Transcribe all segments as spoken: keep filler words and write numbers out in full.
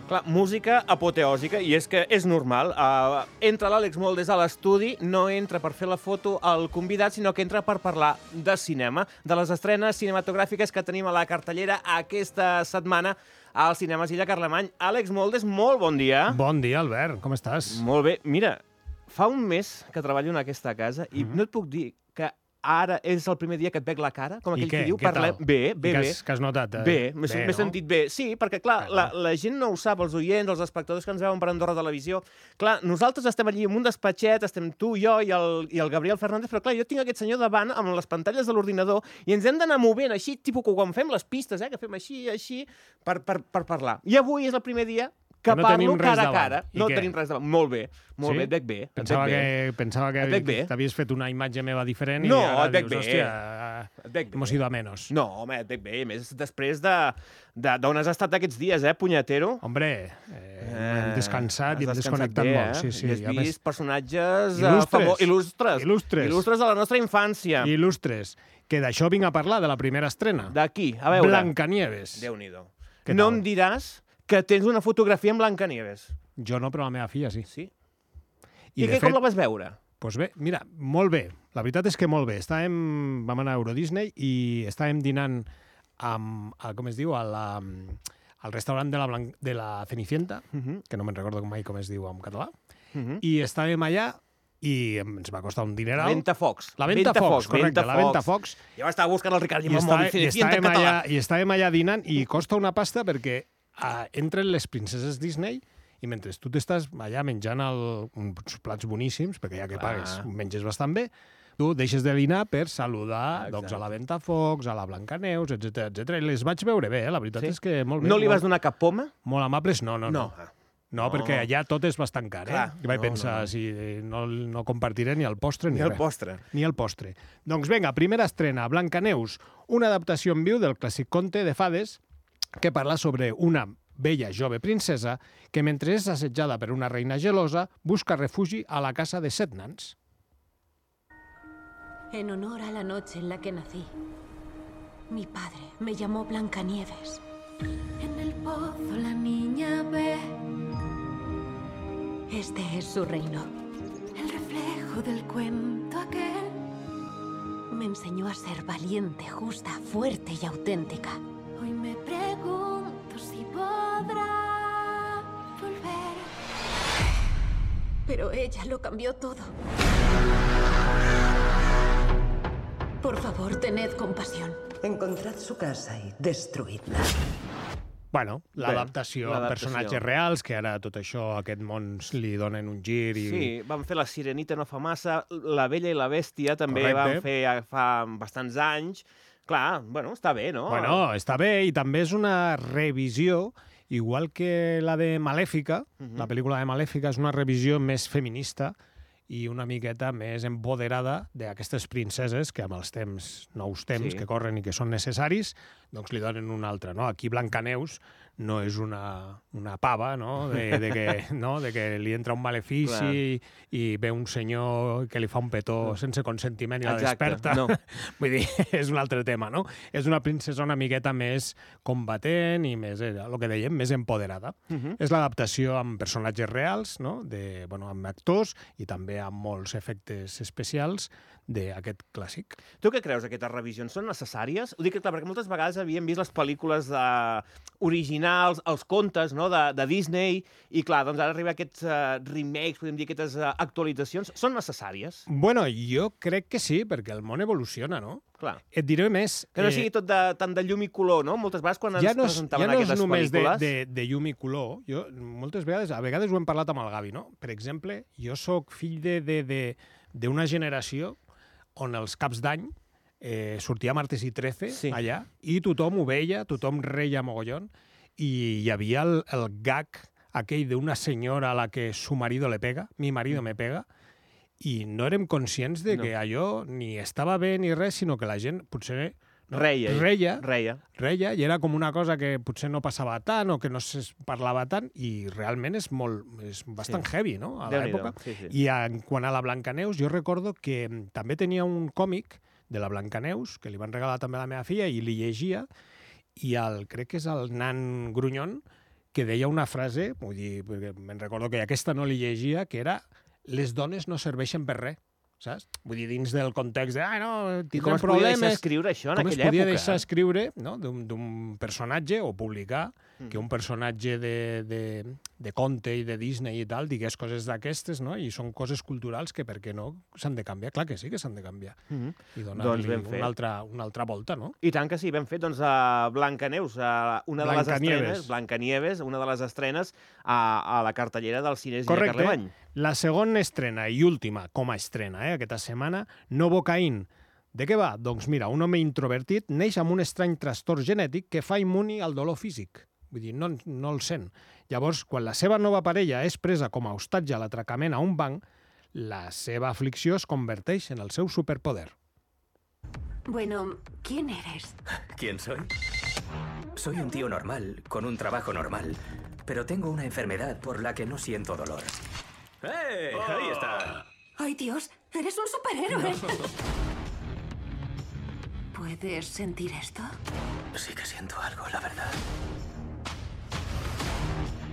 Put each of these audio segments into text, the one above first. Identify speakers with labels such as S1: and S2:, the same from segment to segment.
S1: Clar, música apoteòsica, i és que és normal. Uh, entra l'Àlex Moldes a l'estudi, no entra per fer la foto al convidat, sinó que entra per parlar de cinema, de les estrenes cinematogràfiques que tenim a la cartellera aquesta setmana als cinemes Illa Carlemany. Àlex Moldes, molt bon dia.
S2: Bon dia, Albert. Com estàs?
S1: Molt bé. Mira, fa un mes que treballo en aquesta casa i mm-hmm. no et puc dir que ara és el primer dia que et veig la cara, com aquell
S2: què?
S1: que diu.
S2: Què
S1: Parlem...
S2: tal?
S1: Bé, bé,
S2: I
S1: bé.
S2: Que has, que has notat? Eh?
S1: Bé, m'he
S2: bé,
S1: no? sentit bé. Sí, perquè, clar,
S2: Bueno.
S1: la, la gent no ho sap, els oients, els espectadors que ens veuen per Andorra Televisió. Clar, nosaltres estem allí en un despatxet, estem tu, jo i el, i el Gabriel Fernández, però clar, jo tinc aquest senyor davant amb les pantalles de l'ordinador i ens hem d'anar movent així, tipus que quan fem les pistes, eh, que fem així, així, per, per, per parlar. I avui és el primer dia que,
S2: Que no
S1: parlo
S2: tenim res
S1: cara a
S2: davant.
S1: cara.
S2: I
S1: No
S2: què?
S1: tenim res davant. Molt bé, molt
S2: Sí?
S1: bé, et veig bé. et
S2: Pensava
S1: veig bé.
S2: que, pensava
S1: Et veig bé.
S2: que t'havies fet una imatge meva diferent
S1: No,
S2: i ara
S1: et veig
S2: dius,
S1: bé.
S2: hòstia,
S1: Et veig bé.
S2: hemos ido a menos.
S1: No, home, et veig bé. A més, després de de- d'on has estat aquests dies, eh, punyetero?
S2: Hombre, eh, hem descansat i hem
S1: has
S2: desconnectat
S1: bé,
S2: molt.
S1: Eh?
S2: Sí, sí.
S1: I has
S2: I a més,
S1: vist personatges eh,
S2: Il·lustres.
S1: famo- il·lustres.
S2: Il·lustres.
S1: Il·lustres de la nostra infància.
S2: il·lustres. Que d'això vinc a parlar, de la primera estrena.
S1: D'aquí, a veure.
S2: Blancanieves.
S1: Déu-n'hi-do.
S2: Què
S1: No
S2: tal?
S1: em diràs que tens una fotografia amb Blancanieves.
S2: Jo no, però la meva filla sí.
S1: Sí?
S2: I,
S1: I,
S2: de
S1: què,
S2: fet,
S1: com la vas veure?
S2: Doncs bé, mira, molt bé. La veritat és que molt bé. Estàvem, vam anar a Euro Disney i estàvem dinant amb, a, com es diu, a la, al restaurant de la, Blan de la Cenicienta,
S1: Uh -huh.
S2: que no me'n recordo mai com es diu en català,
S1: Uh -huh.
S2: i estàvem allà i ens va costar un dineral.
S1: Ventafocs.
S2: La Ventafocs, correcte, la Ventafocs.
S1: Jo estava buscant el Ricard i
S2: I,
S1: amb el
S2: està,
S1: mòbil.
S2: i,
S1: Cenicienta en
S2: estàvem
S1: català.
S2: allà, I estàvem allà dinant i costa una pasta perquè uh, entren les princeses Disney i mentre tu t'estàs allà menjant el, uns plats boníssims, perquè ja que
S1: Clar.
S2: pagues menges bastant bé, tu deixes de dinar per saludar
S1: Exacte.
S2: doncs, a la Ventafocs, a la Blancaneus, etcètera etcètera. I les vaig veure bé, eh? La veritat
S1: Sí?
S2: és que molt bé.
S1: No li vas
S2: molt,
S1: donar cap poma?
S2: molt amables, no, no, no.
S1: No.
S2: no.
S1: No.
S2: perquè allà tot és bastant car, eh?
S1: Clar,
S2: I vaig
S1: no,
S2: pensar,
S1: no, no.
S2: si no, no compartiré ni el postre ni,
S1: Ni el
S2: res.
S1: postre.
S2: Ni el postre. Doncs vinga, primera estrena, Blancaneus, una adaptació en viu del clàssic conte de fades que parla sobre una bella jove princesa que, mentre és assetjada per una reina gelosa, busca refugi a la casa de set nans.
S3: En honor a la noche en la que nací, mi padre me llamó Blancanieves. En el pozo la niña ve. Este es su reino. El reflejo del cuento aquel. Me enseñó a ser valiente, justa, fuerte y auténtica. Hoy me pregunto si podrá volver. Pero ella lo cambió todo. Por favor, tened compasión.
S4: Encontrad su casa y destruidla.
S2: Bueno, l'adaptació amb
S1: l'adaptació.
S2: personatges reals, que ara tot això, aquest món li donen un gir i...
S1: Sí, vam fer La Sirenita no fa massa, La Bella i la Bèstia també
S2: Correcte.
S1: vam fer ja fa bastants anys. Clar, bueno, està bé, no?
S2: Bueno, està bé, i també és una revisió, igual que la de Malèfica,
S1: Mhm.
S2: la pel·lícula de Malèfica és una revisió més feminista i una miqueta més empoderada d'aquestes princeses que amb els temps, nous temps
S1: Sí.
S2: que corren i que són necessaris, doncs li donen una altra, no? Aquí Blancaneus no és una, una pava, no? De, de, que, no? de que li entra un malefici i, i ve un senyor que li fa un petó sense consentiment i la
S1: Exacte,
S2: desperta.
S1: no.
S2: Vull dir, és un altre tema, no? És una princesa una miqueta més combatent i més, eh, el que dèiem, més empoderada.
S1: Uh -huh.
S2: És l'adaptació amb personatges reals, no? De, bueno, amb actors i també amb molts efectes especials d'aquest clàssic.
S1: Tu què creus, aquestes revisions són necessàries? Ho dic, clar, perquè moltes vegades havíem vist les pel·lícules de... originals, els contes, no?, de, de Disney, i clar, doncs ara arriba aquests uh, remakes, podem dir, aquestes uh, actualitzacions. Són necessàries?
S2: Bueno, jo crec que sí, perquè el món evoluciona, no?
S1: Clar.
S2: Et diré més...
S1: Que no sigui tot de, tant de llum i color, no? Moltes vegades quan ens
S2: ja no és,
S1: presentaven
S2: ja no és
S1: aquestes
S2: només de,
S1: pel·lícules...
S2: de, de llum i color. Jo, moltes vegades, a vegades ho hem parlat amb el Gavi, no? Per exemple, jo sóc fill de, de, de, d'una generació on els caps d'any eh, sortia Martes i Trece
S1: Sí.
S2: allà i tothom ho veia, tothom reia mogollon i hi havia el, el gag aquell d'una senyora a la que su marido le pega, mi marido me pega, i no érem conscients de que allò ni estava bé ni res, sinó que la gent potser... No,
S1: reia,
S2: reia,
S1: reia.
S2: reia, i era com una cosa que potser no passava tant o que no es parlava tant, i realment és molt, és bastant sí. heavy, no?, a l'època.
S1: Sí, sí.
S2: I en, quan a la Blancaneus, jo recordo que també tenia un còmic de la Blancaneus, que li van regalar també a la meva filla, i li llegia, i el, crec que és el nan Grunyon, que deia una frase, vull dir, perquè me'n recordo que aquesta no li llegia, que era «les dones no serveixen per res». Saps? Vull dir, dins del context de, ah, no, tindrem problemes...
S1: Com es podia deixar escriure això en aquella època?
S2: Com es podia deixar escriure, no?, d'un personatge o publicar mm. que un personatge de, de, de conte i de Disney i tal digués coses d'aquestes, no?, i són coses culturals que, per què no, s'han de canviar. Clar que sí que s'han de canviar. Mm -hmm. I donar-li doncs una, altra, una altra volta, no?
S1: I tant que sí, ben fet. Doncs a Blancaneus, a una de les estrenes, Blancanieves, una de les estrenes a, a la cartellera del cine Gina Carlemany.
S2: La segona estrena i última com a estrena, eh, aquesta setmana, Novocaine. De què va? Doncs mira, un home introvertit neix amb un estrany trastorn genètic que fa immuni al dolor físic. Vull dir, no, no el sent. Llavors, quan la seva nova parella és presa com a hostatge a l'atracament a un banc, la seva aflicció es converteix en el seu superpoder.
S3: Bueno, ¿quién eres?
S5: ¿Quién soy? Soy un tío normal, con un trabajo normal, pero tengo una enfermedad por la que no siento dolor. ¡Eh! Oh. Ahí está.
S3: ¡Ay, Dios! ¡Eres un superhéroe! No. ¿Puedes sentir esto?
S5: Sí que siento algo, la verdad.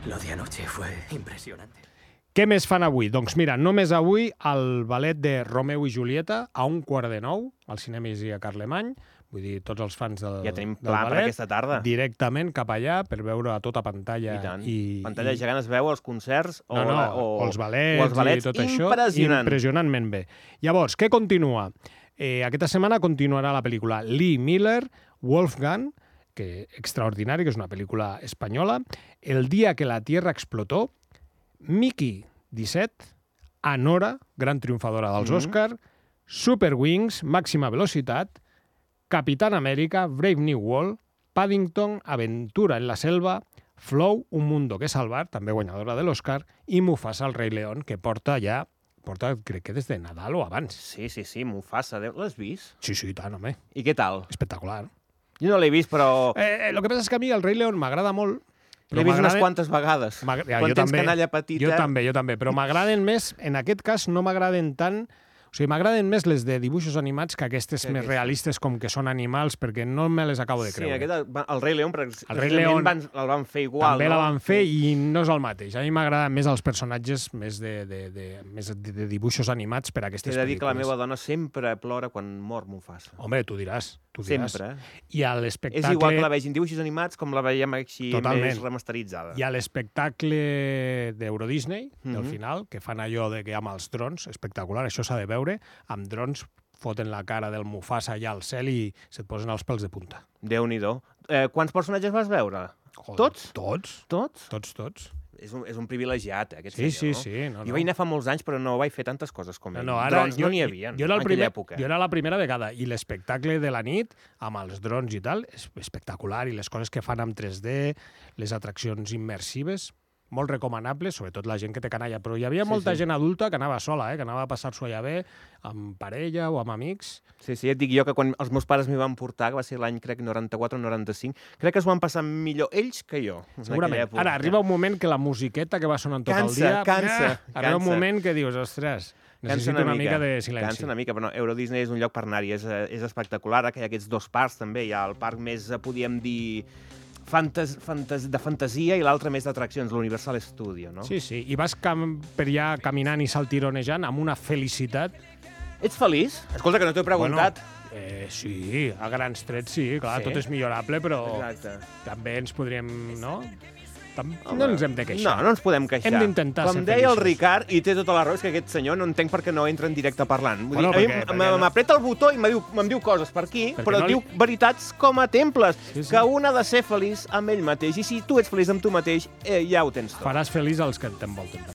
S5: Lo de anoche fue impresionante.
S2: Què més fan avui? Doncs mira, només avui el ballet de Romeu i Julieta a un quart de nou, al Cinema Isia Carlemany. Vull dir, tots els fans del,
S1: ja tenim
S2: del
S1: pla
S2: ballet,
S1: per aquesta tarda.
S2: Directament cap allà per veure a tota pantalla.
S1: I tant.
S2: I,
S1: pantalla
S2: i...
S1: gegant es veu els concerts o,
S2: no, no,
S1: o,
S2: o els balets,
S1: o els balets
S2: i tot
S1: impressionant.
S2: això. Impressionantment bé. Llavors, què continua? Eh, aquesta setmana continuarà la pel·lícula Lee Miller, Wolfgang, que extraordinari, que és una pel·lícula espanyola, El dia que la Tierra explotó, Mickey disset, Anora, gran triomfadora dels mm -hmm. Oscar, Super Wings, màxima velocitat, Capitán América, Brave New World, Paddington, Aventura en la selva, Flow, Un mundo que salvar, també guanyadora de l'Oscar, i Mufasa, el rei León, que porta ja, porta crec que des de Nadal o abans.
S1: Sí, sí, sí, Mufasa, l'has vist?
S2: Sí, sí, tant, home.
S1: I què tal?
S2: Espectacular.
S1: Jo no l'he vist, però...
S2: Eh, eh, el que passa és que a mi el rei León m'agrada molt.
S1: L'he vist unes quantes vegades.
S2: Ja,
S1: Quan tens
S2: també,
S1: canalla petita...
S2: Jo també, jo també, però m'agraden més, en aquest cas no m'agraden tant... O sigui, m'agraden més les de dibuixos animats que aquestes que més aquesta. realistes com que són animals, perquè no me les acabo de creure.
S1: Sí, aquest, el Rei León, el
S2: Rei León
S1: van, el van fer igual.
S2: També
S1: no?
S2: la van fer i no és el mateix. A mi m'agraden més els personatges més de, de, de, més de, de dibuixos animats per a aquestes pel·lícules.
S1: T'he de dir que la meva dona sempre plora quan mor Mufasa.
S2: Home, tu diràs. Tu diràs.
S1: Sempre.
S2: I a l'espectacle...
S1: És igual que la vegin dibuixos animats com la veiem així
S2: Totalment.
S1: més remasteritzada.
S2: I a l'espectacle d'Euro Disney,
S1: mm -hmm.
S2: del final, que fan allò de que amb els drons, espectacular, això s'ha de veure, amb drons foten la cara del Mufasa allà al cel i se't posen els pèls de punta.
S1: Déu-n'hi-do. Eh, quants personatges vas veure?
S2: Joder,
S1: tots?
S2: Tots.
S1: Tots?
S2: Tots, tots.
S1: És un, és un privilegiat, eh, aquest
S2: sí,
S1: senyor,
S2: sí,
S1: no?
S2: sí, no,
S1: jo
S2: no.
S1: vaig anar fa molts anys, però no vaig fer tantes coses com ell.
S2: No, no, ara,
S1: drons
S2: jo,
S1: no n'hi havia
S2: jo era el
S1: en
S2: primer,
S1: aquella època.
S2: Jo era la primera vegada, i l'espectacle de la nit, amb els drons i tal, és espectacular, i les coses que fan amb tres D, les atraccions immersives, molt recomanables, sobretot la gent que té canalla, però hi havia
S1: sí,
S2: molta
S1: sí.
S2: gent adulta que anava sola, eh, que anava a passar-s'ho allà bé, amb parella o amb amics.
S1: Sí, sí, et dic jo que quan els meus pares m'hi van portar, que va ser l'any, crec, noranta-quatre o noranta-cinc, crec que es van passar millor ells que jo.
S2: Segurament. Ara, arriba un moment que la musiqueta que va sonant tot
S1: cansa,
S2: el dia...
S1: Cansa,
S2: eh, arriba un moment que dius, ostres, necessito una, una mica, mica de silenci.
S1: Cansa una mica, però no, Euro Disney és un lloc per anar-hi, és, és espectacular. Ara que hi ha aquests dos parcs, també, hi ha el parc més, podíem dir... Fantas, fantas, de fantasia i l'altre més d'atraccions, l'Universal Studio, no?
S2: Sí, sí, i vas cam per allà caminant i saltironejant amb una felicitat.
S1: Ets feliç? Escolta, que no t'ho he preguntat.
S2: Bueno, eh, sí, a grans trets sí, clar, sí. Tot és millorable, però
S1: exacte.
S2: També ens podríem, no? No ens hem de queixar.
S1: No, no ens podem queixar.
S2: Hem d'intentar ser
S1: feliços. Com deia el
S2: feliços.
S1: Ricard, i té tota la raó, és que aquest senyor no entenc per què no entra en directe parlant. Vull
S2: Bueno,
S1: dir,
S2: perquè-
S1: a
S2: perquè
S1: mi
S2: no-
S1: m'apreta el botó i em diu, em diu coses per aquí,
S2: Perquè
S1: però
S2: no li-
S1: diu veritats com a temples,
S2: Sí, sí.
S1: que un ha de ser feliç amb ell mateix, i si tu ets feliç amb tu mateix, eh, ja ho tens tot.
S2: Faràs feliç els que t'envolten.